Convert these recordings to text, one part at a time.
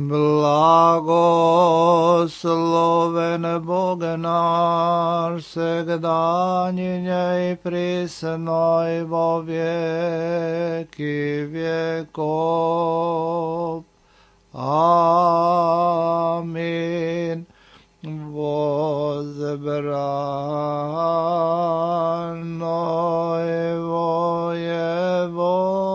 Blagosloven Bog naš, segdanjinje i prisno i vo vijeki vjekov. Amin. Возбрано его Еводье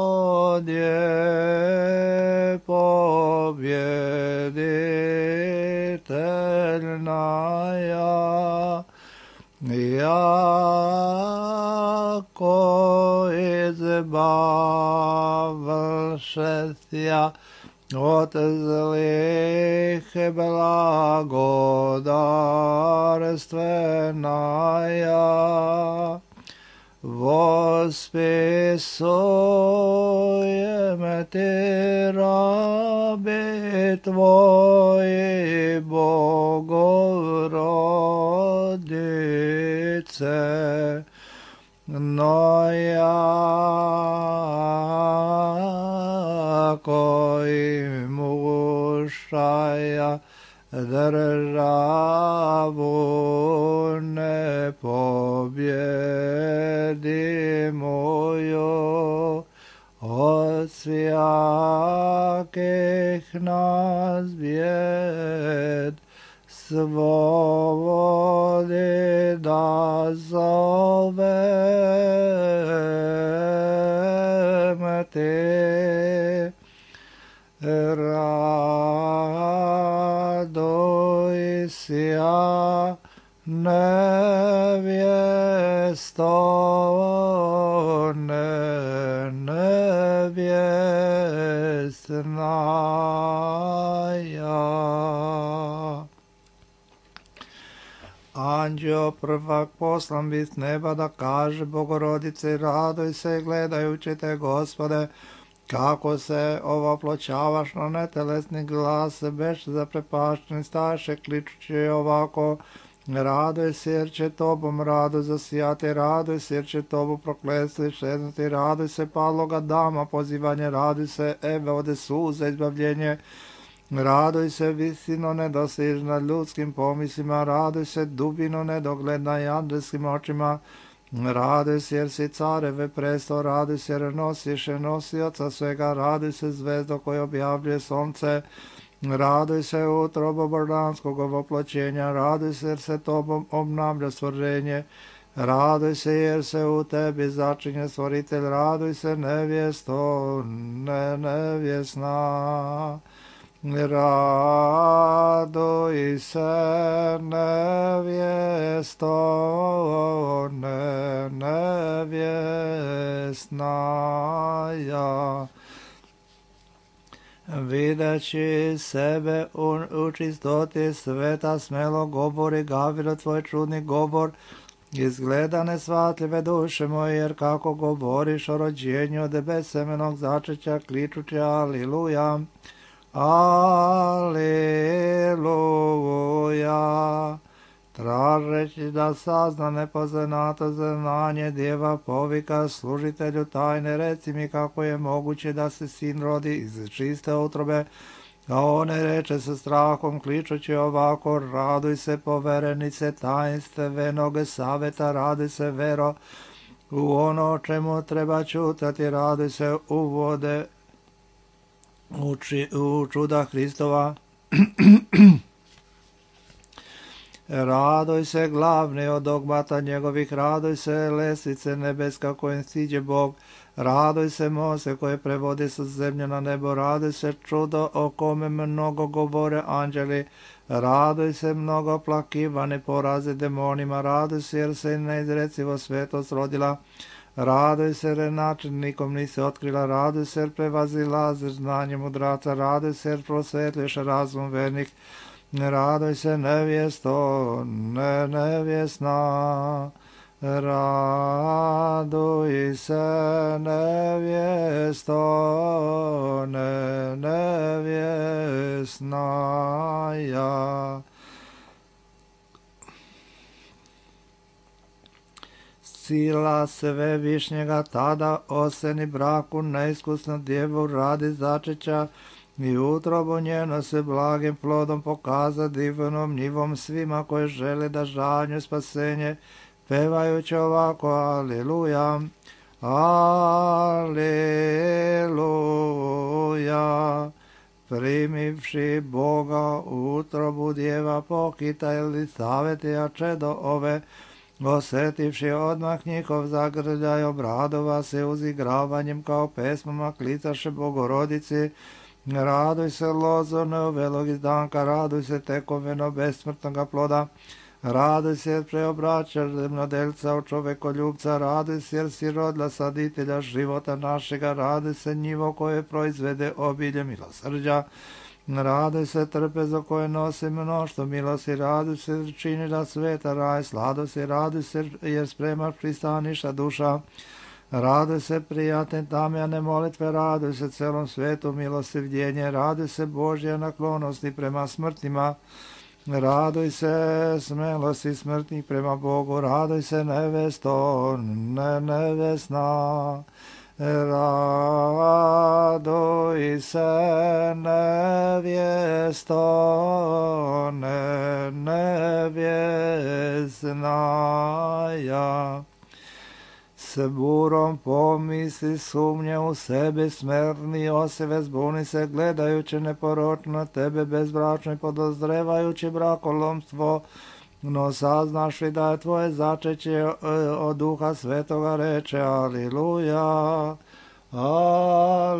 победительная, яко избавшеся от злых благодарственная, восписуем Ты раби Твои, Богородице, но яко имущая державу непобедимую от всяких нас бед, свободы да зовем Ты. Радуйся, невесто, невестная. Anđeo prvak poslan bi s neba da kaže Bogorodice, raduj se gledajući te, Gospode, kako se ovoploćavaš na netelesni glas, beš zaprepašten, staše kličući ovako, raduj se jer će tobom radu zasijati, raduj se jer će tobu prokletstvo iščeznuti, raduj se padloga dama, pozivanje, raduj se Eve ode suza, izbavljenje, raduj se visino nedostižna ljudskim pomislima, raduj se dubino nedogledna i andelskim očima, raduj se jer si careve presto, raduj se jer nosiš nosioca svega, raduj se zvezdo koje objavljuje sonce, raduj se utrobo božanskog ovoploćenja, raduj se jer se tobom obnavlja stvorenje, raduj se jer se u tebi začinje stvoritelj, raduj se nevjesto, nevjesna. Raduj se nevjesto, nevjesnaja. Videći sebe u čistoti sveta, smelo govori Gavriel tvoj čudni govor, izgleda nesvatljive duše moje, jer kako govoriš o rođenju od besemenog začeća, kličući aliluja. Aleluja. Tražeći da sazna nepoznato znanje, djeva povika služitelju tajne, reci mi kako je moguće da se sin rodi iz čiste utrobe, a on ne reče sa strahom, kličući ovako, raduj se poverenice tajnstvenog saveta, raduj se vero u ono o čemu treba čutati, raduj se uvode u čuda Hristova. Raduj se glavni od dogmata njegovih, raduj se lestvice nebeska kojim siđe Bog, raduj se Mose koje prevodi sa zemlje na nebo, raduj se čudo o kome mnogo govore anđeli, raduj se mnogo plakivani porazi demonima, raduj se jer se neizrecivo svetost rodila, raduj se jer način nikom nisi otkrila, raduj se jer prevazilaziš znanje mudraca, raduj se jer prosvetliš razum vernih, raduj se nevjesto, nevjesna, raduj se nevjesto, nevjesnaja. Sila svevišnjega tada oseni braku neiskusnu djevu radi začeća i utrobu njeno se blagim plodom pokaza divnom njivom svima koji žele da žanju spasenje, pevajući ovako, aleluja, aleluja. Primivši Boga u utrobu djeva pokita ili Savetija čedo ove, osjetivši odmah njihov zagrljaj, obradova se uzigravanjem kao pesmama klicaše Bogorodici. Raduj se lozo neovelog izdanka, raduj se tekoveno besmrtnoga ploda, raduj se jer preobraćaš zemljodelca od čovekoljubca, raduj se jer si rodila saditelja života našega, raduj se njivo koje proizvede obilje milosrđa, raduj se trpezo koje nosi mnoštvo milosti, raduj se jer činila sveta raj sladosti, raduj se jer spremaš pristaniša duša, raduj se prijatne tamjane molitve, raduj se celom svetu milostivljenje, raduj se Božje naklonosti prema smrtima, raduj se smelosti smrtnih prema Bogu, raduj se nevesto, nevesna, raduj se nevjesto, nevjesnaja. S burom pomisli sumnje u sebe, smerni oseve zbuni se, gledajući neporočno tebe bezbračno i podozrevajući brakolomstvo, no saznaš li da je tvoje začeće od Duha Svetoga, reče aliluja, aliluja.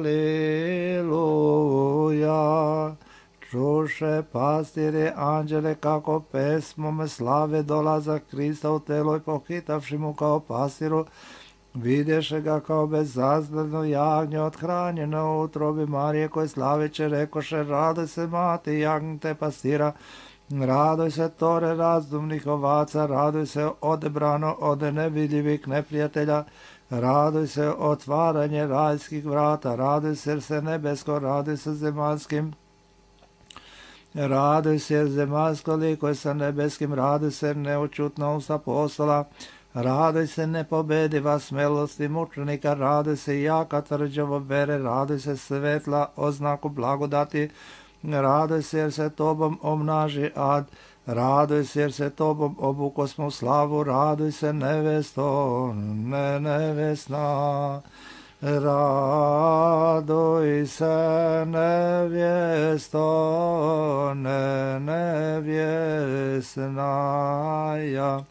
Čuše pastire anđele kako pesmom slave dolazak Krista u telo i pohitavši mu kao pastiru, vidješe ga kao bezazledno jagnje othranjeno u utrobi Marije, koje slaveće rekoše, raduj se mati jagnjte pastira, raduj se tore razdumnih ovaca, raduj se odebrano od nevidljivih neprijatelja, raduj se otvaranje rajskih vrata, raduj se nebesko, raduj se zemaljskim, raduj se zemaljsko liko sa nebeskim, raduj se neučutno usta apostola, raduj se nepobediva smelosti mučenika, raduj se jaka tvrđavo vere, raduj se svetla oznaku blagodati, raduj se jer se tobom omnaži ad, raduj se jer se tobom obukosmo slavu, raduj se nevesto, nevesna, raduj se nevjesto, nevjesnaja.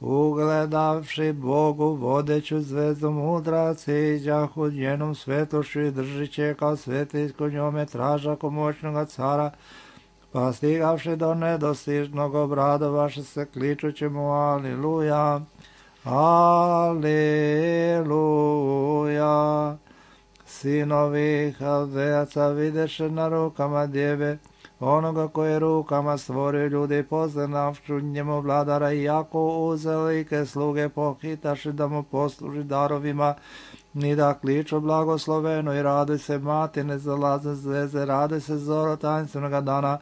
Ugledavši Bogu vodeću zvezdu mudraci, iđahu njenom svetošću i držiće kao svetiljko njome tražako moćnoga cara, pa stigavši do nedostižnog obradovaše se kličući mu aliluja, aliluja. Sinovi Haldejaca videše na rukama djeve, onoga koje rukama stvorio ljudi, poznavšu njemu vladara, i jako uzelike sluge pohitaši da mu posluži darovima, ni da kliču blagosloveno i raduj se mati nezalazne zveze, raduj se zoro tajinstvenoga dana,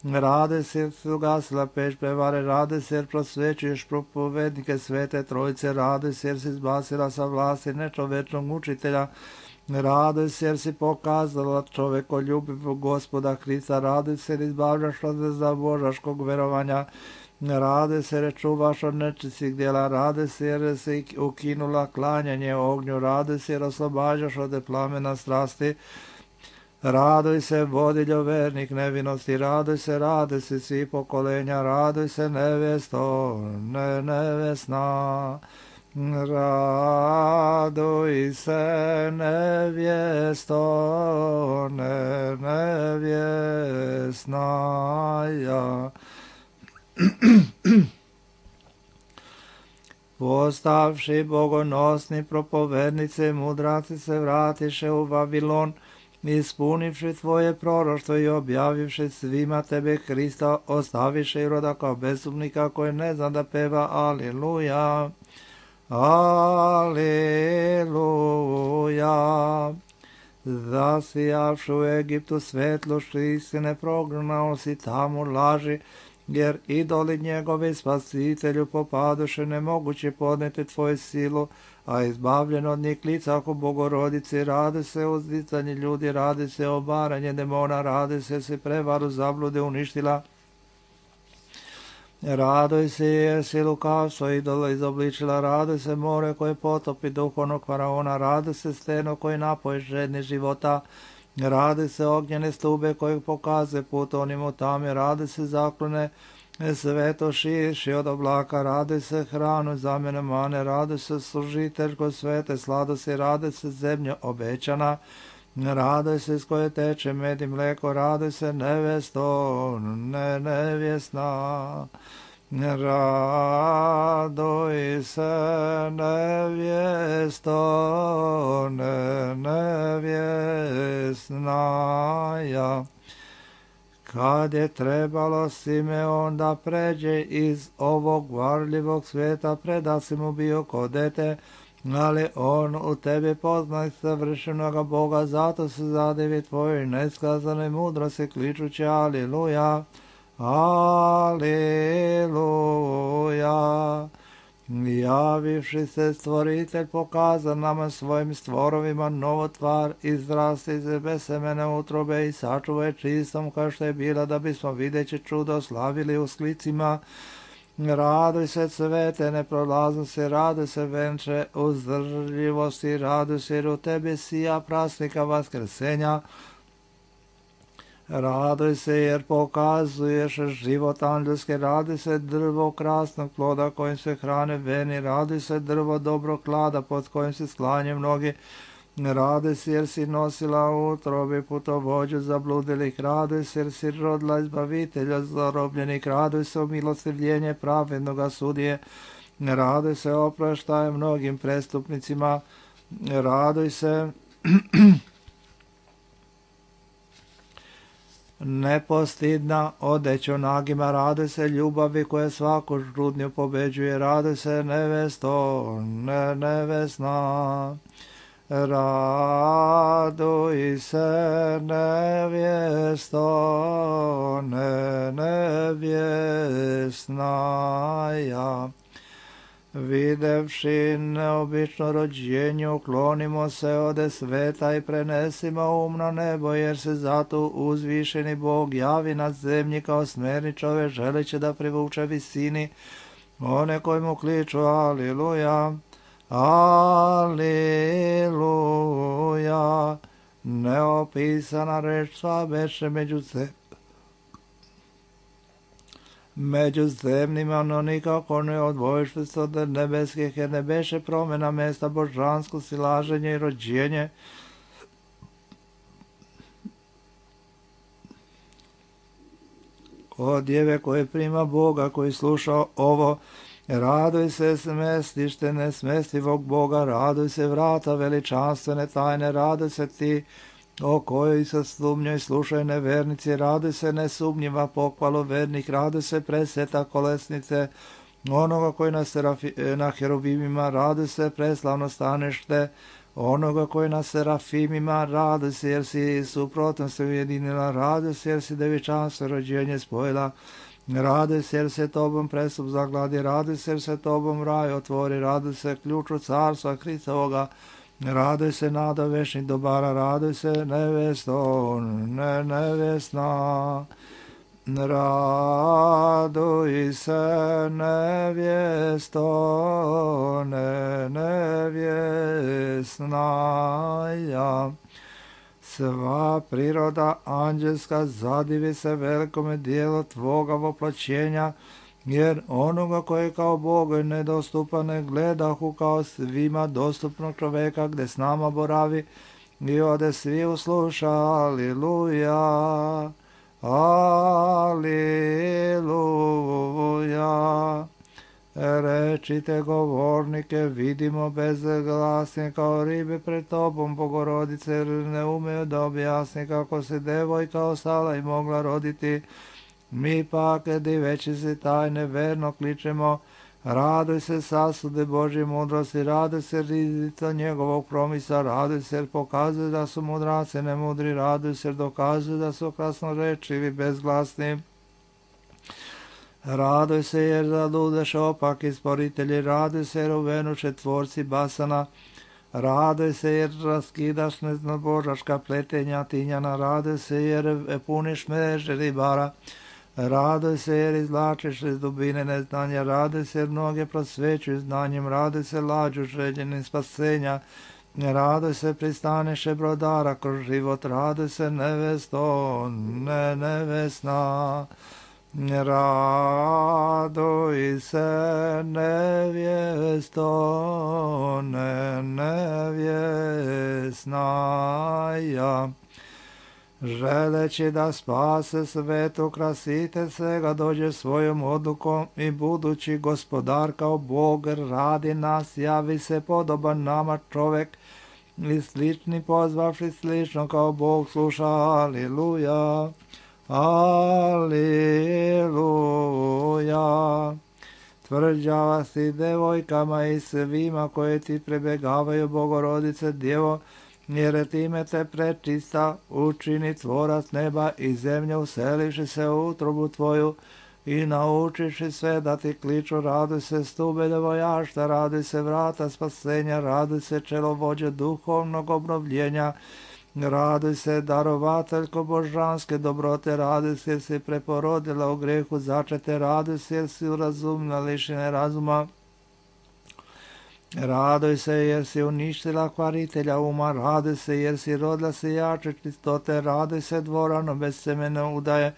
raduj se jer su ugasila peć prevare, raduj se jer prosvećuješ propovednike svete trojice, raduj se jer si izbasila sa vlasti nečovečnog učitelja, raduj se jer si pokazala čovekoljubivog Gospoda Hrista, raduj se jer izbavljaš od zabožaškog verovanja, raduj se jer čuvaš od nečistih djela, raduj se jer si ukinula klanjanje ognju, raduj se jer oslobađaš od plamena strasti, raduj se vodiljo vernih nevinosti, raduj se svi pokolenja, raduj se nevjesto, nevesna, raduj se nevjesto, nevjesnaja. Postavši bogonosni propovednice, mudraci se vratiše u Vavilon, ispunivši tvoje proroštvo i objavivši svima tebe Hrista, ostaviše Iroda kao bezumnika koji ne zna da peva aliluja, aleluja. Zasijavši u Egiptu svetlošću istine, prognao si tamo laži jer idoli njegovi spasitelju popadoše, nemoguće podneti tvoju silu, a izbavljen od njih lica oko Bogorodici, radi se o uzdizanju ljudi, radi se o obaranje demona, radi se prevaru zablude uništila. Radoj se jer si lukavstvo idola izobličila, radoj se more koje potopi duhovnog faraona, radoj se steno koje napoje žedni života, radi se ognjene stube kojeg pokazuje put onim u tame, radi se zaklone sveto širši od oblaka, radi se hranu zamjene mane, radi se služiteljko svete sladosti, radi se zemlja obećana, radoj se s koje teče med i mleko, radoj se nevesto, nevjesna. Radoj se nevjesto, nevjesnaja. Kad je trebalo Simeon da pređe iz ovog varljivog svijeta, preda si mu bio ko dete, ali on u tebi poznaj savršenoga Boga, zato se zadivi tvojoj neskazanoj mudrosti, kličući Aliluja, Aliluja. Javivši se stvoritelj pokaza nama svojim stvorovima novotvar, izrasti iz besemene utrobe i sačuvaj čistom kao što je bila, da bismo videći čudo slavili u sklicima. Raduj se cvete neprolaznosti, raduj se venče uzdržljivosti, raduj se jer u tebi sija prasnika vaskrsenja. Raduj se jer pokazuješ život anđelski, raduj se drvo krasnog ploda kojim se hrane veni, raduj se drvo dobrog klada pod kojim se sklanje mnogi, raduj se jer si nosila u utrobi putovođu zabludilih, raduj se jer si rodila izbavitelja zarobljenih, raduj se umilostivljenje pravednoga sudije, raduj se opraštaj mnogim prestupnicima, raduj se nepostidna odeću nagima, raduj se ljubavi koja svaku žrudnju pobeđuje, raduj se nevesto, nevesna, raduj se nevjesto, nevjesnaja. Videvši neobično rođenje, uklonimo se ode sveta i prenesimo na nebo, jer se zato uzvišeni Bog javi na zemlji kao smjerničove, želeće da privuče visini one koji mu kliču Aliluja, Aliluja. Neopisana reč sva beše među zemljima, no nikako ne odvojiš se od nebeskih, jer ne beše promjena mjesta božansko silaženje i rođenje. O djeve koje prima Boga, koji sluša ovo, raduj se smestište nesmestivog Boga, raduj se vrata veličanstvene tajne, raduj se ti o kojoj se sumnjoj slušaj nevernici, raduj se nesumnjiva pohvalu vernih, raduj se preseta kolesnice onoga koji na heruvimima, raduj se preslavno stanešte onoga koji na serafimima, raduj se jer si suprotno se ujedinila, raduj se jer si devičanstvo rođenje spojila, raduj se jer se tobom prestup zagladi, raduj se jer se tobom raj otvori, raduj se ključu carstva Hristovoga, raduj se nada večnih dobara, raduj se nevesto, nevjesna, raduj se nevjesto, nevjesnaja. Sva priroda anđelska zadivi se velikome dijelu tvoga voplaćenja, jer onoga koji kao Bogu je nedostupan ne gledahu kao svima dostupnog čoveka gdje s nama boravi i ode svi usluša Aliluja, Aliluja. Rečite govornike, vidimo bezglasni kao ribe pred tobom, Bogorodice, jer ne umeju da objasni kako se devojka ostala i mogla roditi. Mi pak, diveći se tajne, verno kličemo, raduj se sasude Božje mudrosti, raduj se rizica njegovog promisa, raduj se jer pokazuje da su mudraci nemudri, raduj se jer dokazuje da su krasnorečivi bezglasni. Raduj se jer zadudeš opaki stvoritelji, raduj se jer uvenuše tvorci basana, raduj se jer raskidaš neznabožaška pletenja tinjana, raduj se jer puniš mreže ribara, raduj se jer izvlačiš iz dubine neznanja, raduj se jer mnoge prosvećuju znanjem, raduj se lađu željenim spasenja, raduj se pristaniše brodara kroz život, raduj se nevesto, nevesna. Raduj se nevjesto, nevjesnaja. Želeći da spase svet, ukrasite svega, dođe svojom odlukom i budući gospodar kao Bog radi nas, javi se podoban nama čovek i slični pozvavši slično kao Bog sluša. Aliluja. Aliluja. Tvrđava si devojkama i svima koje ti prebegavaju, Bogorodice Djevo, jer time te prečista učini tvorac neba i zemlje, uselivši se u utrobu tvoju i naučiši sve da ti kliču. Raduj se stube devojašta, raduj se vrata spasenja, raduj se čelovođe duhovnog obnovljenja, raduj se darovateljko božanske dobrote, raduj se jer si preporodila u grehu začete, raduj se jer si urazumna lišene razuma, raduj se jer si uništila kvaritelja uma, raduj se jer si rodila se jače čistote, raduj se dvorano bez semene udaje,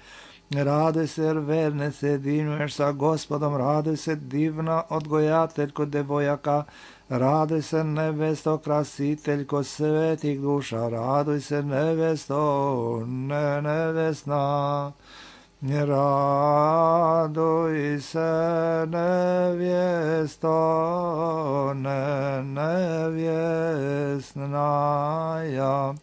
raduj se jer verne se jedinuješ sa Gospodom, raduj se divna odgojateljko devojaka, raduj se nevesto krasiteljko svetih duša, raduj se nevesto, nevesna. Raduj se nevjesto, nevjesnaja.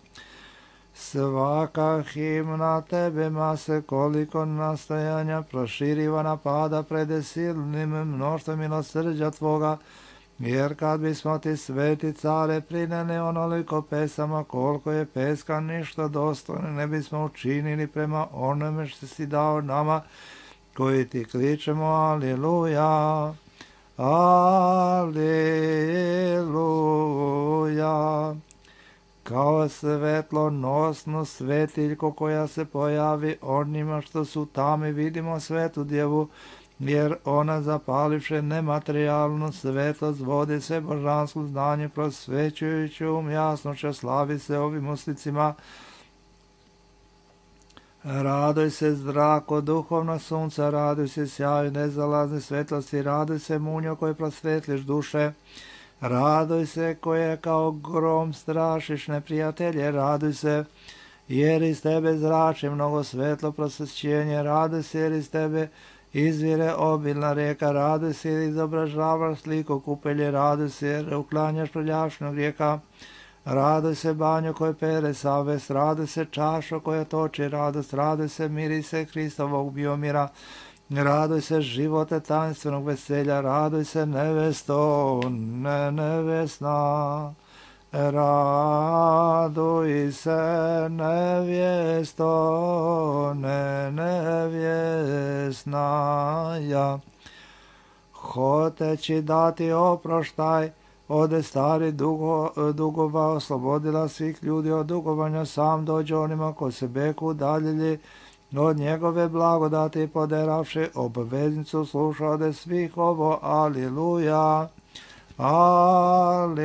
Svaka himna tebema se koliko nastojanja proširiva napada pred silnim mnoštvom milosrđa tvoga, jer kad bismo ti sveti care prineli onoliko pesama koliko je peska ništa dostojno ne bismo učinili prema onome što si dao nama koji ti kličemo aliluja, aliluja. Kao svetlonosnu svetiljko koja se pojavi onima što su tami, vidimo svetu djevu, jer ona zapalivše nematerijalnu svetlost vodi se božansku znanje prosvećujući jasnoće, slavi se ovim uslicima. Raduj se zrako duhovno sunca, raduj se sjaju nezalazne svetlosti, raduj se munjo koje prosvetliš duše, raduj se koje kao grom strašiš neprijatelje, raduj se jer iz tebe zrači mnogo svetlo prosvećenje, raduj se jer iz tebe izvire obilna rijeka, raduj se jer izobražavaš sliku kupelje, raduj se jer uklanjaš prljavšnog rijeka, raduj se banjo koje pere savest, raduj se čašo koja toči radost, raduj se mirise Hristovog biomira, raduj se živote tajnstvenog veselja, raduj se nevesto, nevesna. Raduj se nevjesto, nevjesnaja. Hoteći dati oproštaj od stari dugova, oslobodila svih ljudi od dugovanja, sam dođe onima ko se beku udaljili od njegove blagodati, poderavši obveznicu sluša ode svih ovo, aliluja. Aliluja.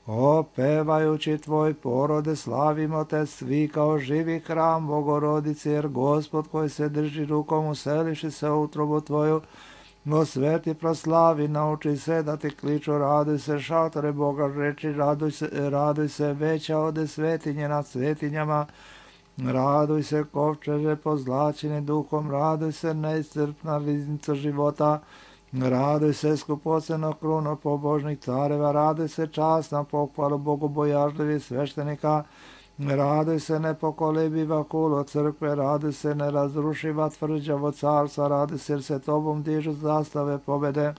Opevajući tvoj porode, slavimo te svi kao živi hram Bogorodice, jer Gospod koji se drži rukom useliši se u utrobu tvoju, go sveti proslavi, nauči se da ti kliču, raduj se šatore Boga reči, raduj se veća ode svetinje nad svetinjama, raduj se kovčeže pozlačeni duhom, raduj se neiscrpna riznica života, raduj se skupoceno kruno pobožnih careva, raduj se časna pohvalu bogobojažljivih sveštenika, raduj se nepokolebiva kulo crkve, raduj se nerazrušiva tvrđavo carstva, raduj se jer se tobom dižu zastave pobede.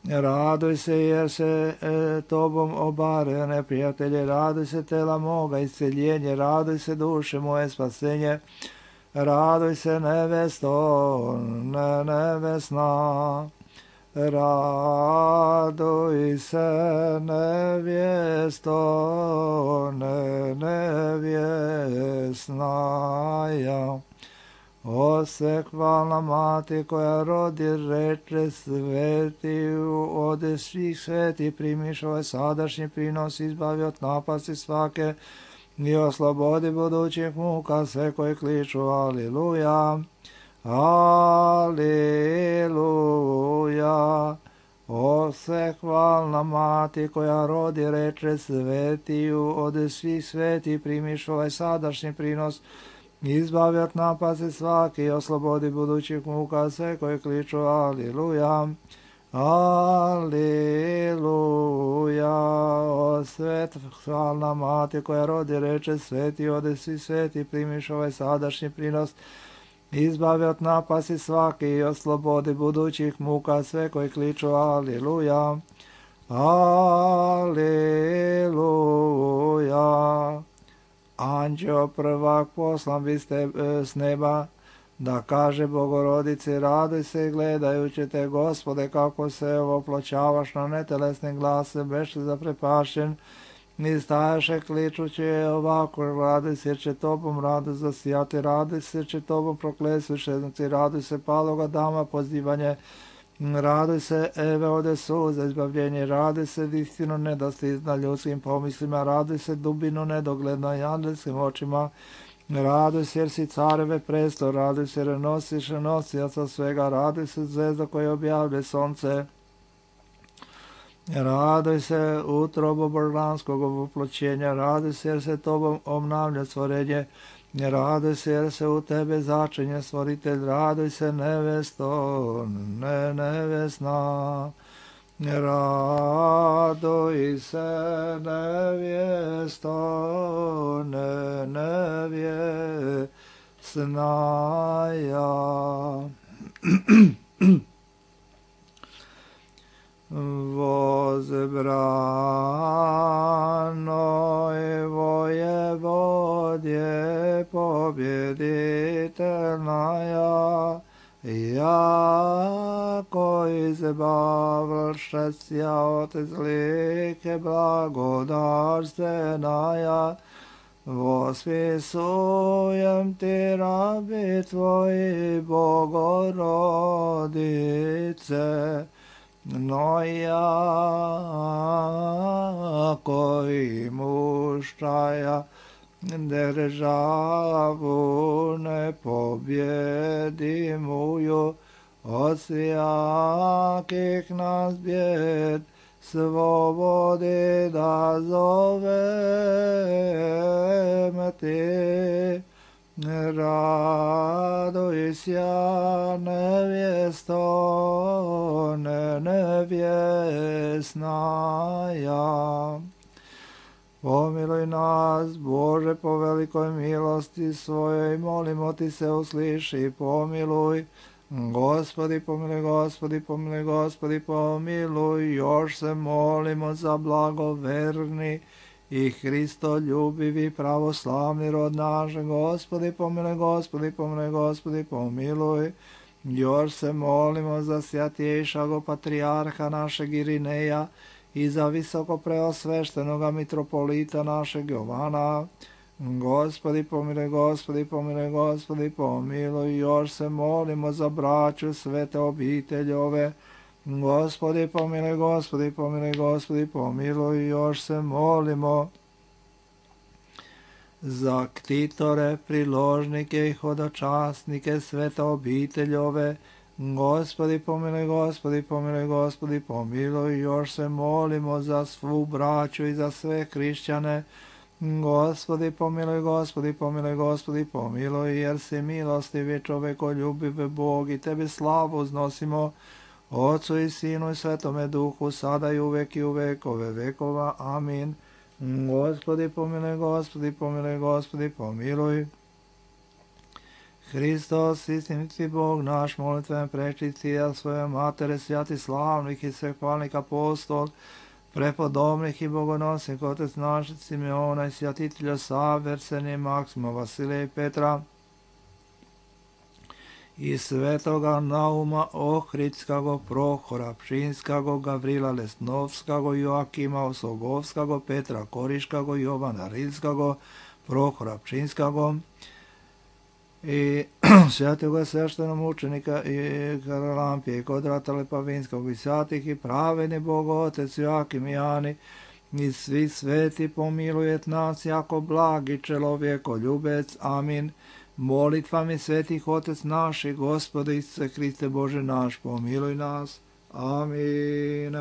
Raduj se jer se tobom obare neprijatelje, raduj se tela moga isceljenje, raduj se duše moje spasenje, raduj se nevesto, nevesna, raduj se nevjesto, nevjesnaja. O sekvalna mati koja rodi reče sveti, ode svih sveti primiš ovaj sadašnji prinos, izbavi od napasti svake i oslobodi budućih muka sve koji kliču aliluja, aliluja. O sekvalna mati koja rodi reče sveti, ode svih sveti primiš ovaj sadašnji prinos, izbavi od napasti svaki i oslobodi budućih muka sve koji kliču aliluja, aliluja. O svetla mati koja rodi reče sveti, ode svi sveti primiš ovaj sadašnji prinos, izbavi od napasti svaki i oslobodi budućih muka sve koji kliču aliluja, aliluja. Anđeo prvak poslan biste s neba, da kaže Bogorodici raduj se gledajući te Gospode kako se opločavaš na netelesnim glase, beše zaprepašen i stajaše kličući ovako, raduj se jer će tobom raduj zasijati, raduj se jer će tobom proklesu šeznici, raduj se paloga dama pozivanje, raduj se Eve ode suza izbavljenje, raduj se istinu nedostizna ljudskim pomislima, raduj se dubinu nedogledna i angelskim očima, raduj se jer si careve presto, raduj se jer nosiš nosioca svega, raduj se zvezda koja objavlja sonce, raduj se utrobo božanskog oploćenja, raduj se jer se tobom obnavlja stvorenje, raduj se jer se u tebe začinje stvoritelj, raduj se nevesto, nevesna, raduj se nevjesto, nevjesnaja. Возбранoj воеводje победительная, яко избавившись от злых благодарственная, восписуем ти раби твои, Богородице, но яко имущая державу непобедимую от всяких нас бед, свободы да зовем ти. Радуйся, невесто, невесная. Pomiluj nas, Bože, po velikoj milosti svojoj, molimo ti se usliši, pomiluj. Gospodi, pomiluj, Gospodi, pomiluj, Gospodi, pomiluj. Još se molimo za blagoverni i Hristoljubivi pravoslavni rod naš. Gospodi, pomiluj, Gospodi, pomiluj, Gospodi, pomiluj. Još se molimo za svjatjejšago patrijarha našeg Irineja i za visoko preosveštenoga mitropolita našeg Jovana. Gospodi, pomiluj, Gospodi, pomiluj, Gospodi, pomiluj. Još se molimo za braću svete obiteljove. Gospodi, pomiluj, Gospodi, pomiluj, Gospodi, pomiluj. Još se molimo za ktitore, priložnike i hodočasnike svete obiteljove. Gospodi, pomiluj, Gospodi, pomiluj, Gospodi, pomiluj. Još se molimo za svu braću i za sve hrišćane. Gospodi, pomiluj, Gospodi, pomiluj, Gospodi, pomiluj, jer si milostivi, čovekoljubiv Bog, i tebi slavu uznosimo, Otcu i Sinu i Svetome Duhu, sada i uvek i u vekove vekova. Amin. Gospodi, pomiluj, Gospodi, pomiluj, Gospodi, pomiluj. Hristos, istiniti Bog naš, molitven prečisti, a svoje matere, svjati slavnih i svehvalnih apostol, prepodobnih i bogonosnih, otec naš, Simeona i svjatitelja Save, Arsenija, Maksima, Vasilija i Petra, i svetoga Nauma, Ohridskago, Prohora, Pšinskago, Gavrila Lesnovskago, Joakima Osogovskago, Petra Koriškago, Jovana Rilskago, Prohora Pšinskago, i svetoga sveštenog mučenika i Karalampije i Kodrata Lepavinskog i svatih i pravedni Bog Otec Joakim i Jani i svi sveti pomilujet nas jako blagi čelovjeko ljubec. Amin. Molitvami svetih Otec naš i Gospode Isuse Hriste Bože naš, pomiluj nas. Amin.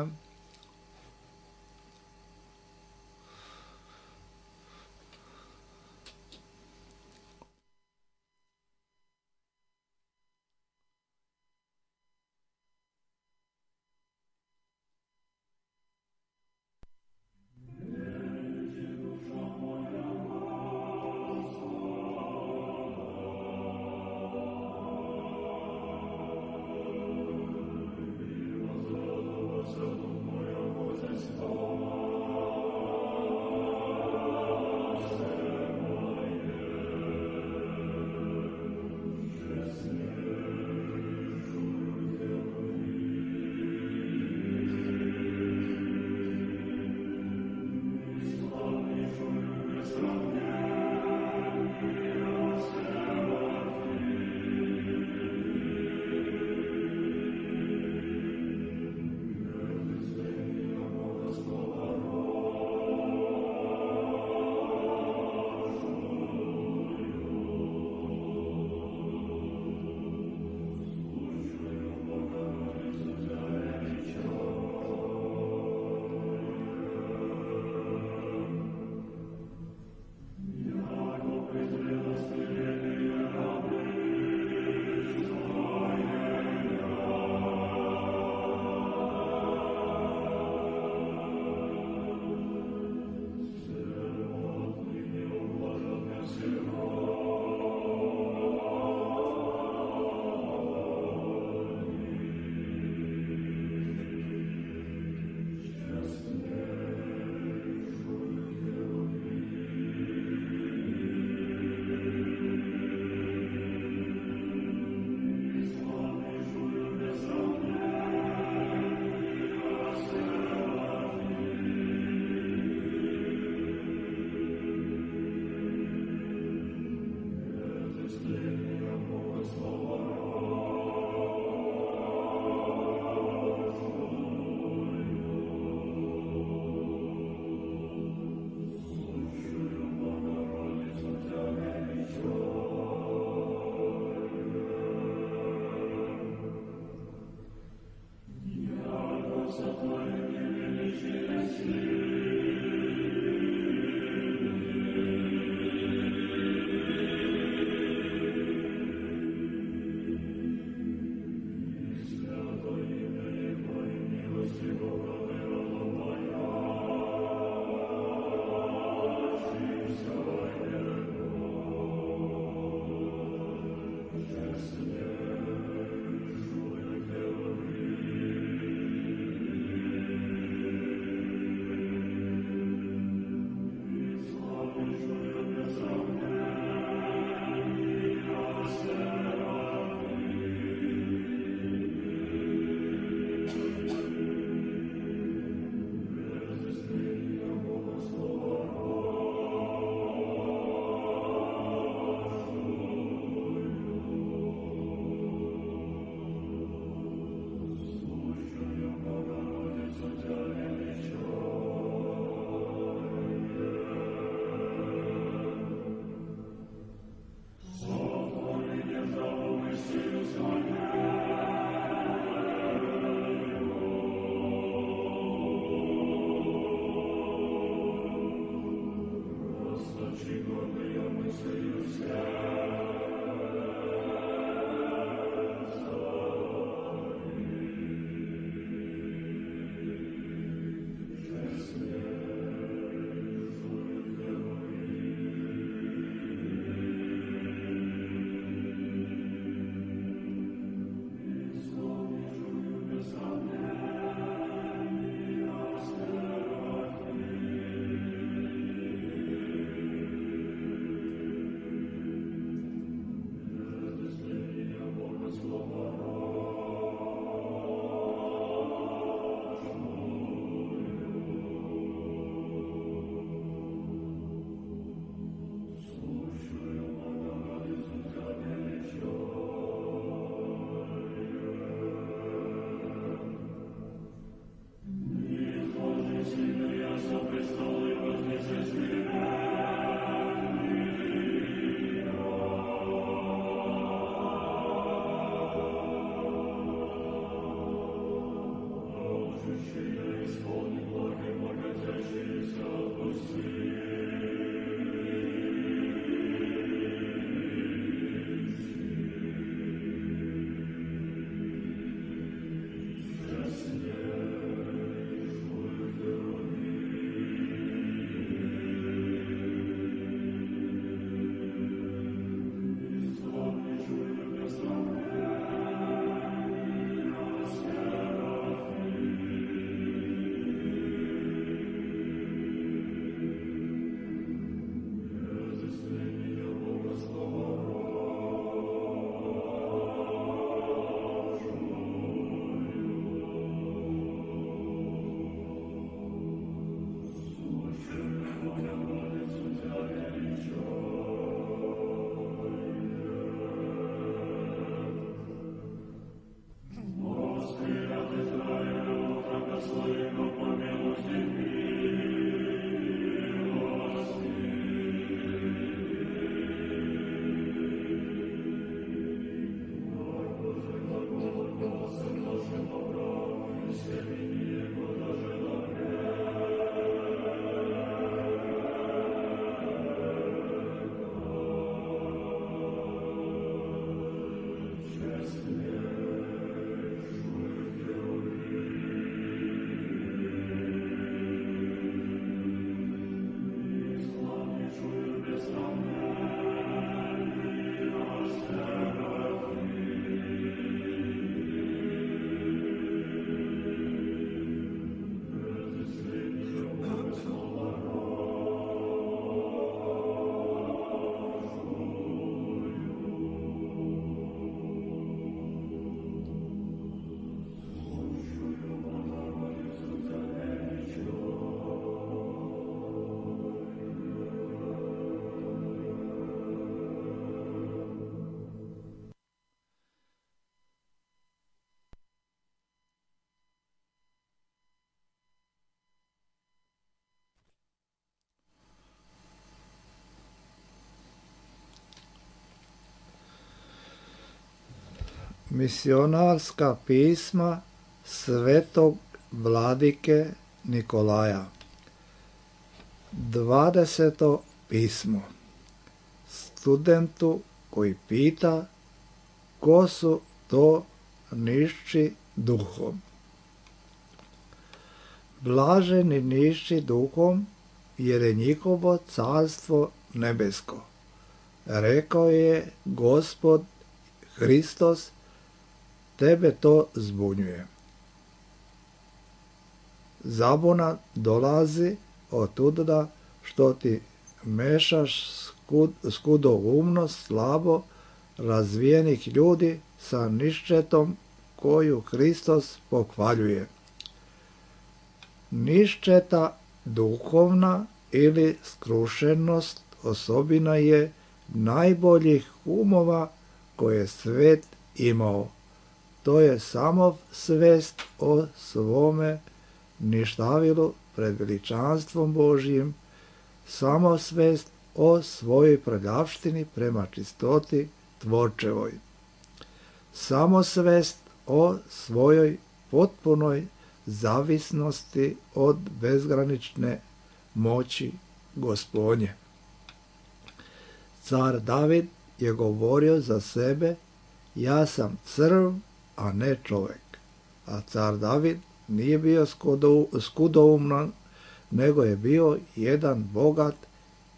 Misionarska pisma svetog vladike Nikolaja. 20. pismo studentu koji pita ko su to nišći duhom. Blaženi nišći duhom, jer je njihovo carstvo nebesko. Rekao je Gospod Hristos, tebe to zbunjuje. Zabuna dolazi otuda što ti mešaš skudoumnost slabo razvijenih ljudi sa niščetom koju Hristos pohvaljuje. Niščeta duhovna ili skrušenost osobina je najboljih umova koje svet imao. To je samo svest o svome ništavilu pred veličanstvom Božjim, samo svest o svojoj prljavštini prema čistoti tvorčevoj, samo svest o svojoj potpunoj zavisnosti od bezgranične moći Gospodnje. Car David je govorio za sebe, ja sam crv, a ne čovjek. A car David nije bio skudouman, nego je bio jedan bogat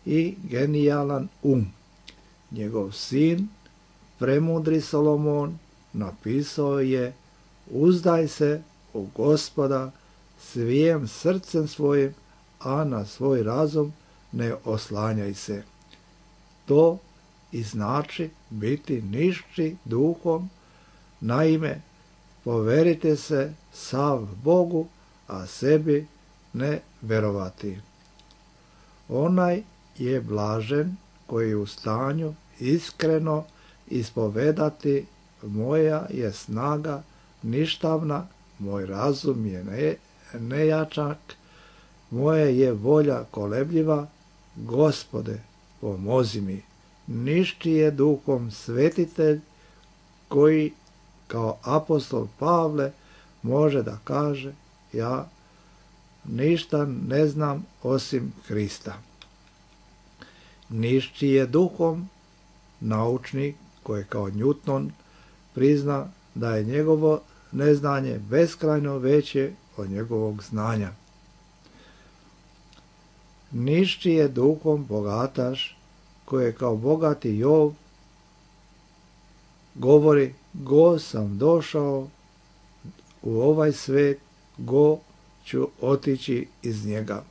i genijalan Njegov sin, premudri Solomon, napisao je, uzdaj se u Gospoda svijem srcem svojim, a na svoj razum ne oslanjaj se. To i znači biti nišći duhom, naime, poverite se sav Bogu, a sebi ne verovati. Onaj je blažen koji je u stanju iskreno ispovedati, moja je snaga ništavna, moj razum je nejačak, moja je volja kolebljiva, Gospode, pomozi mi. Nišći je duhom svetitelj koji kao apostol Pavle može da kaže, ja ništa ne znam osim Hrista. Nišći je duhom naučnik koji kao Newton prizna da je njegovo neznanje beskrajno veće od njegovog znanja. Nišći je duhom bogataš koji je kao bogati Jov govori, go sam došao u ovaj svet, go ću otići iz njega.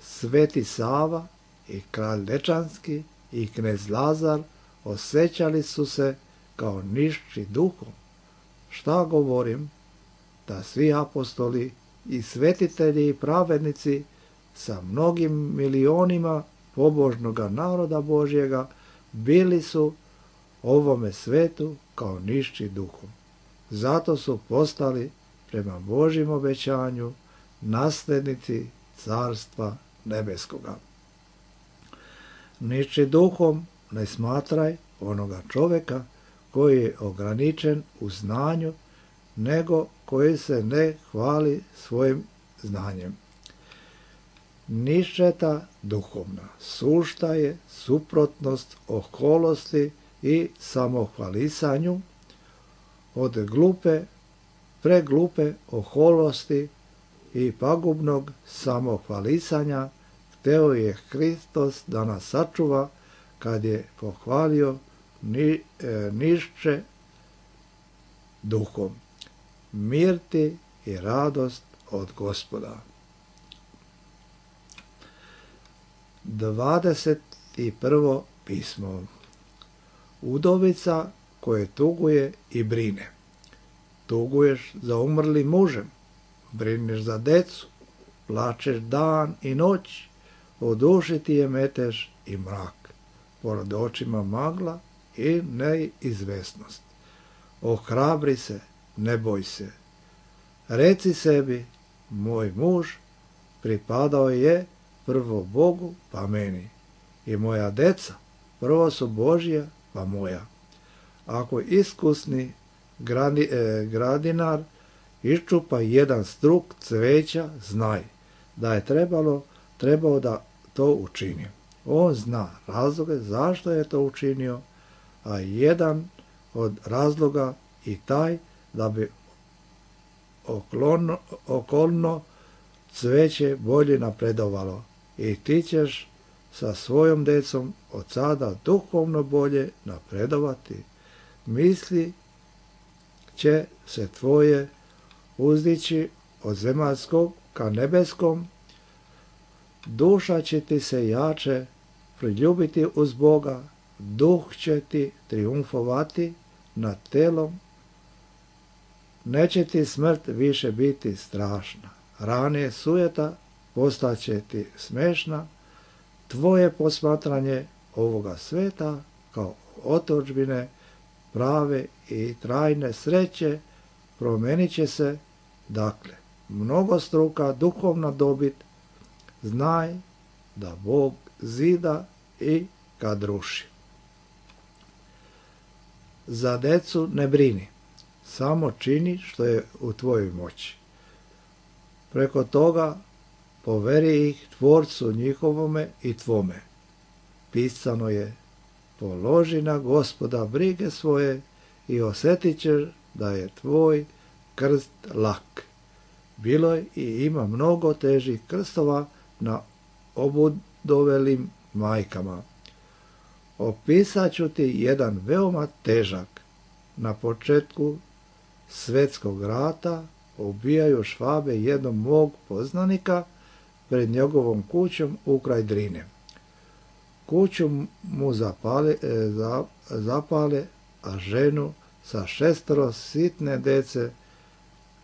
Sveti Sava i kralj Dečanski i knez Lazar osjećali su se kao nišći duhom. Šta govorim? Da svi apostoli i svetitelji i pravednici sa mnogim milionima pobožnoga naroda Božjega bili su ovome svetu kao nišći duhom. Zato su postali prema Božjem obećanju naslednici carstva nebeskoga. Nišći duhom ne smatraj onoga čovjeka koji je ograničen u znanju, nego koji se ne hvali svojim znanjem. Niščeta duhovna sušta je suprotnost oholosti i samohvalisanju, od preglupe oholosti i pagubnog samohvalisanja hteo je Hristos da nas sačuva kad je pohvalio nišće duhom. Mir ti i radost od Gospoda. 21. pismo. Udovica koje tuguje i brine. Tuguješ za umrlim mužem, brineš za decu, plačeš dan i noć, u duši ti je metež i mrak, pored očima magla i neizvesnost. Ohrabri se, ne boj se. Reci sebi, moj muž pripadao je prvo Bogu pa meni, i moja deca prvo su Božja pa moja. Ako iskusni gradinar iščupa jedan struk cveća, znaj da je trebao da to učini. On zna razloge zašto je to učinio, a jedan od razloga i taj da bi okolno cveće bolje napredovalo i ti ćeš sa svojom decom od sada duhovno bolje napredovati. Misli će se tvoje uzdići od zemaljskog ka nebeskom, duša će ti se jače priljubiti uz Boga, duh će ti triumfovati nad telom, neće ti smrt više biti strašna, rane sujeta postaće ti smešna, tvoje posmatranje ovoga sveta kao otadžbine prave i trajne sreće promenit će se, dakle, mnogostruka duhovna dobit, znaj da Bog zida i kad ruši. Za decu ne brini, samo čini što je u tvojoj moći. Preko toga poveri ih Tvorcu njihovome i tvome. Pisano je, položi na Gospoda brige svoje i osjetit ćeš da je tvoj krst lak. Bilo je i ima mnogo težih krstova na obudovelim majkama. Opisat ću ti jedan veoma težak. Na početku Svetskog rata ubijaju Švabe jednog mog poznanika pred njegovom kućom ukraj Drine. Kuću mu zapale, a ženu sa 6 sitne dece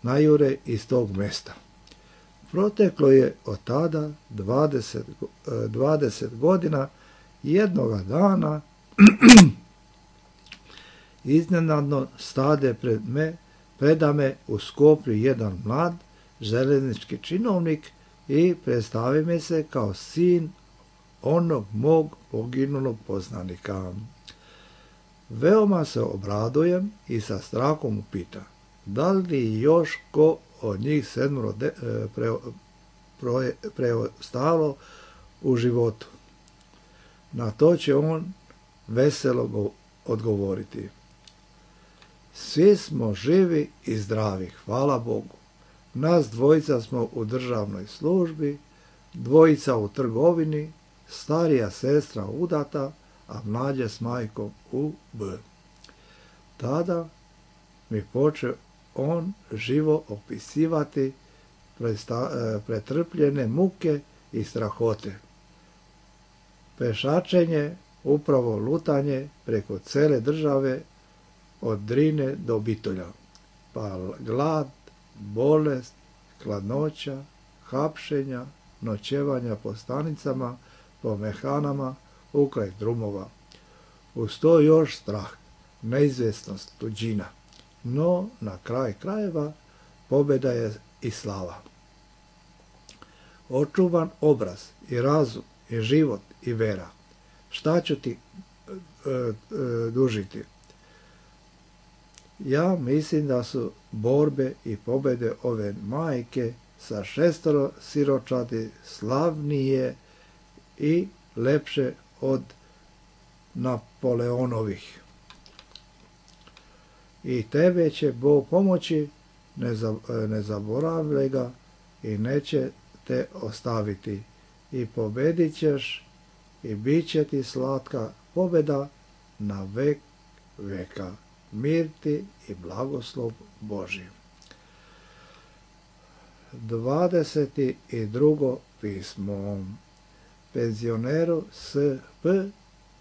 najure iz tog mesta. Proteklo je od tada 20 godina. Jednoga dana iznenadno stade preda me u Skoplju jedan mlad železnički činovnik i predstavi mi se kao sin onog mog poginulog poznanika. Veoma se obradujem i sa strahom upita, da li još ko od njih 7 preostalo u životu. Na to će on veselo odgovoriti. Svi smo živi i zdravi, hvala Bogu. Nas dvojica smo u državnoj službi, 2 u trgovini, starija sestra udata, a mlađa s majkom u B. Tada mi poče on živo opisivati pretrpljene muke i strahote. Pešačenje, upravo lutanje preko cele države od Drine do Bitolja, pa glad, bolest, hladnoća, hapšenja, noćevanja po stanicama, po mehanama, ukraj drumova. Uz to još strah, neizvjesnost, tuđina. No, na kraj krajeva, pobjeda je i slava. Očuvan obraz i razum i život i vera. Šta ću ti dužiti? Ja mislim da su borbe i pobjede ove majke sa 6 siročadi slavnije i lepše od Napoleonovih. I tebe će Bog pomoći, ne zaboravljaj ga i neće te ostaviti. I pobedit ćeš i bit će ti slatka pobjeda na vek veka. Mir ti i blagoslov Božji. 22. pismo. Penzioneru S.P.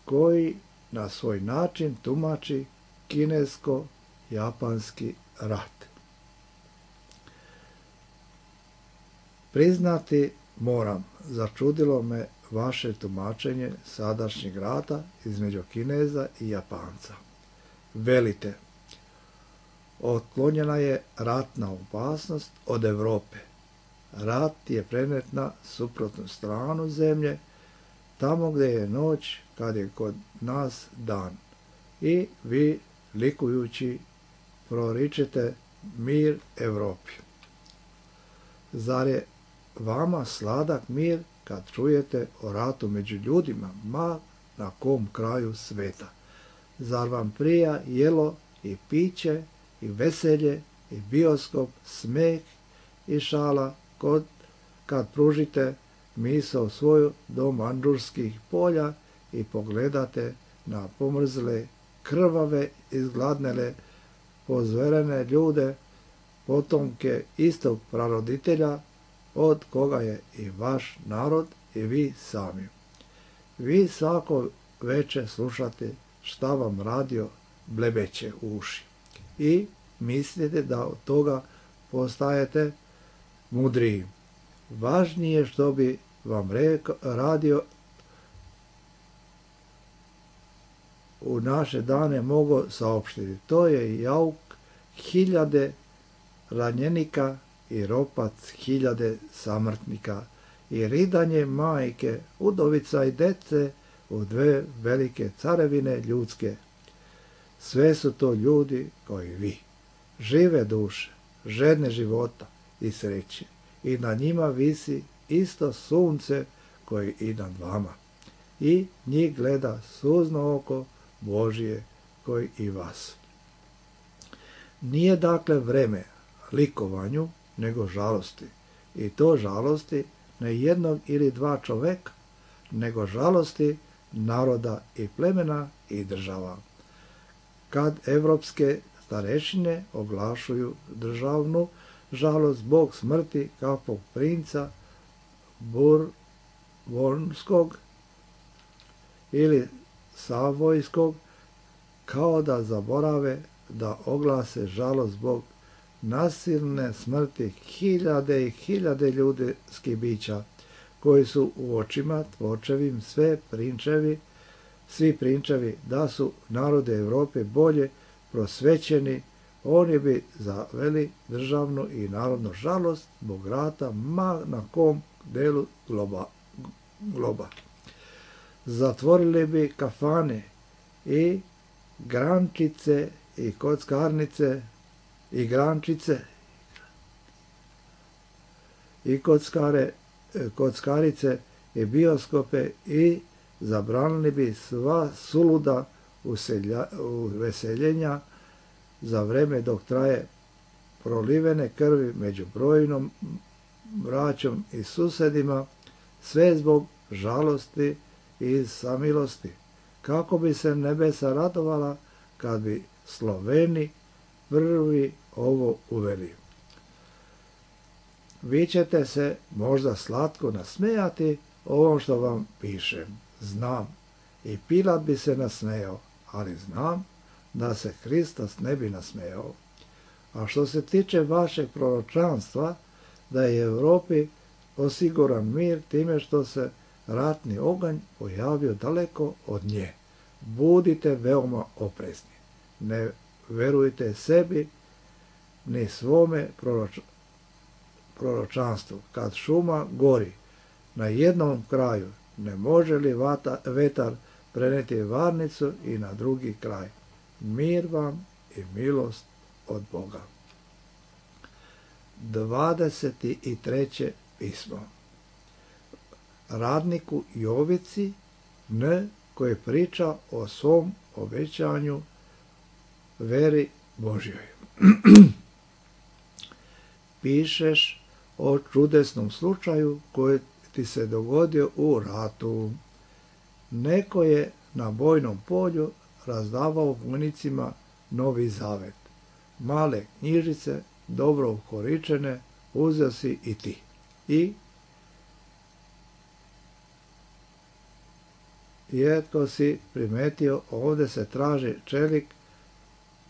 koji na svoj način tumači kinesko-japanski rat. Priznati moram, začudilo me vaše tumačenje sadašnjeg rata između Kineza i Japanca. Velite, otklonjena je ratna opasnost od Europe. Rat je prenet na suprotnu stranu zemlje, tamo gdje je noć kad je kod nas dan. I vi, likujući proričite mir Europi. Zar je vama sladak mir kad čujete o ratu među ljudima, ma na kom kraju sveta? Zar vam prija jelo i piće i veselje i bioskop, smeh i šala kad pružite misao svoju do mandžurskih polja i pogledate na pomrzle, krvave, izgladnele, pozverene ljude, potomke istog praroditelja od koga je i vaš narod i vi sami. Vi svako veče slušate šta vam radio blebeće u uši i mislite da od toga postajete mudriji. Važnije što bi vam radio u naše dane mogao saopštiti. To je jauk hiljade ranjenika i ropac hiljade samrtnika i ridanje majke, udovica i dece u dve velike carevine ljudske. Sve su to ljudi koji vi, žive duše, žedne života i sreće, i na njima visi isto sunce koji i nad vama, i njih gleda suzno oko Božije koji i vas. Nije dakle vreme likovanju, nego žalosti, i to žalosti ne jednog ili dva čoveka, nego žalosti naroda i plemena i država. Kad evropske starešine oglašuju državnu žalost zbog smrti kakvog princa Burbonskog ili Savojskog, kao da zaborave da oglase žalost zbog nasilne smrti hiljade i hiljade ljudskih bića, koji su u očima tvorčevim svi prinčevi da su narode Evrope bolje prosvećeni, oni bi zaveli državnu i narodnu žalost zbog rata ma na kom delu globa. Zatvorili bi kafane i grančice i kockarnice i grančice i kockarice i bioskope i zabranili bi sva suluda uveseljenja za vreme dok traje prolivene krvi među brojnom braćom i susedima, sve zbog žalosti i samilosti, kako bi se nebesa radovala kad bi Sloveni prvi ovo uveli. Vi ćete se možda slatko nasmejati ovom što vam pišem, znam, i Pilat bi se nasmejao, ali znam da se Hristos ne bi nasmejao. A što se tiče vašeg proročanstva, da je Europi osiguran mir time što se ratni oganj pojavio daleko od nje, budite veoma oprezni. Ne verujte sebi ni svome proročanstvu. Kad šuma gori na jednom kraju, ne može li vetar preneti varnicu i na drugi kraj? Mir vam i milost od Boga. 23. pismo. Radniku Jovici koji priča o svom obećanju veri Božjoj. Pišeš o čudesnom slučaju koji ti se dogodio u ratu. Neko je na bojnom polju razdavao vojnicima Novi Zavet. Male knjižice, dobro ukoričene, uzeo si i ti. I jetko si primetio, ovdje se traži čelik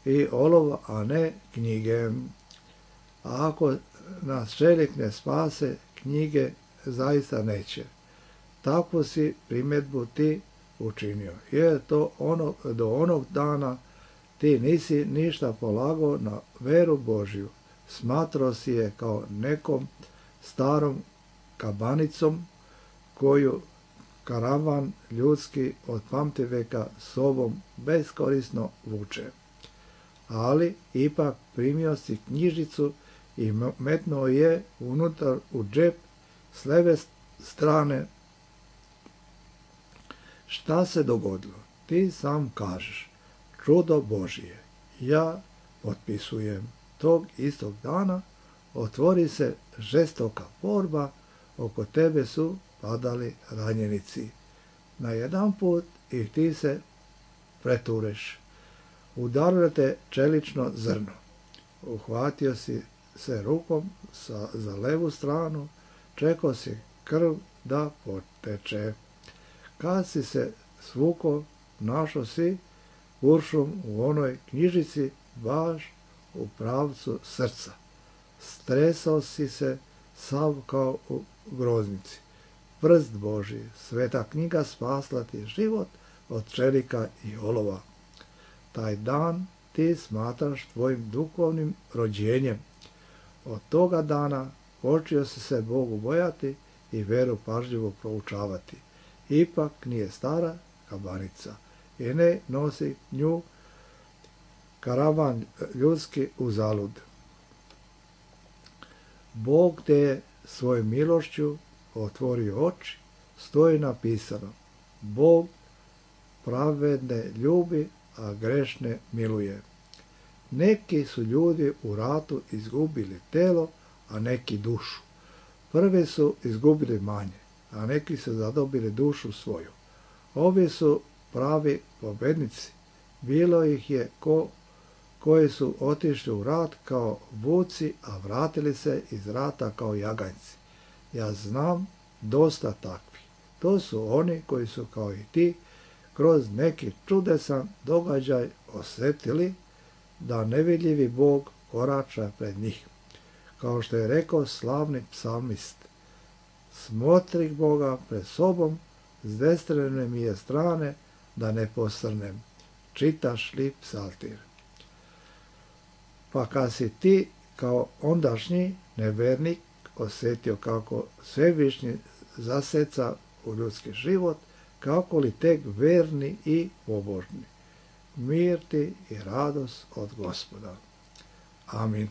i olovo, a ne knjige. A ako nas čelik ne spase, knjige zaista neće. Takvu si primjedbu ti učinio. Jer to do onog dana ti nisi ništa polagao na veru Božju. Smatrao si je kao nekom starom kabanicom koju karavan ljudski od pamtiveka sobom beskorisno vuče. ali ipak primio si knjižicu i metnuo je unutar u džep s leve strane. Šta se dogodilo? Ti sam kažeš, čudo Božije. Ja potpisujem. Tog istog dana otvori se žestoka borba, oko tebe su padali ranjenici. Na jedan put i ti se pretureš. Udarilo te čelično zrno. Uhvatio si se rukom za levu stranu, čekao si krv da poteče. Kad si se svuko, našao si kuršum u onoj knjižici baš u pravcu srca. Stresao si se sav kao u groznici. Prst Božji, sveta knjiga spasla ti život od čelika i olova. Taj dan ti smatraš tvojim duhovnim rođenjem. Od toga dana počeo si se Bogu bojati i veru pažljivo proučavati. Ipak nije stara kabanica i ne nosi nju karavan ljudski uzalud. Bog te je svojom milošću otvorio oči, stoji napisano: Bog pravedne ljubi, a grešne miluje. Neki su ljudi u ratu izgubili telo, a neki dušu. Prvi su izgubili manje, a neki su zadobili dušu svoju. Ovi su pravi pobednici. Bilo ih je koji su otišli u rat kao vuci, a vratili se iz rata kao jaganjci. Ja znam dosta takvih. To su oni koji su kao i ti kroz neki čudesan događaj osjetili da nevidljivi Bog korača pred njih. Kao što je rekao slavni psalmist: smotri Boga pred sobom, s desne mi je strane, da ne posrnem. Čitaš li psaltir? Pa kad si ti kao ondašnji nevernik osjetio kako Svevišnji zaseca u ljudski život, kako li tek verni i pobožni. Mir ti i radost od Gospoda. Amin.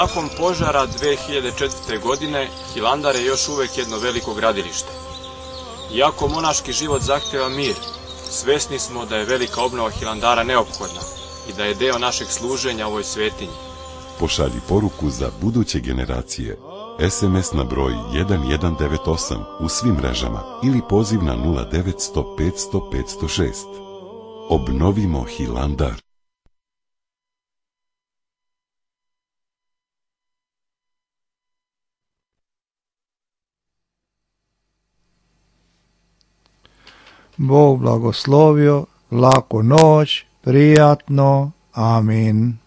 Nakon požara 2004. godine, Hilandar je još uvek jedno veliko gradilište. Iako monaški život zahteva mir, svesni smo da je velika obnova Hilandara neophodna i da je deo našeg služenja ovoj svetinji. Pošalji poruku za buduće generacije. SMS na broj 1198 u svim mrežama ili poziv na 0900 500 506. Obnovimo Hilandar. Bog blagoslovio, laku noć, prijatno, amin.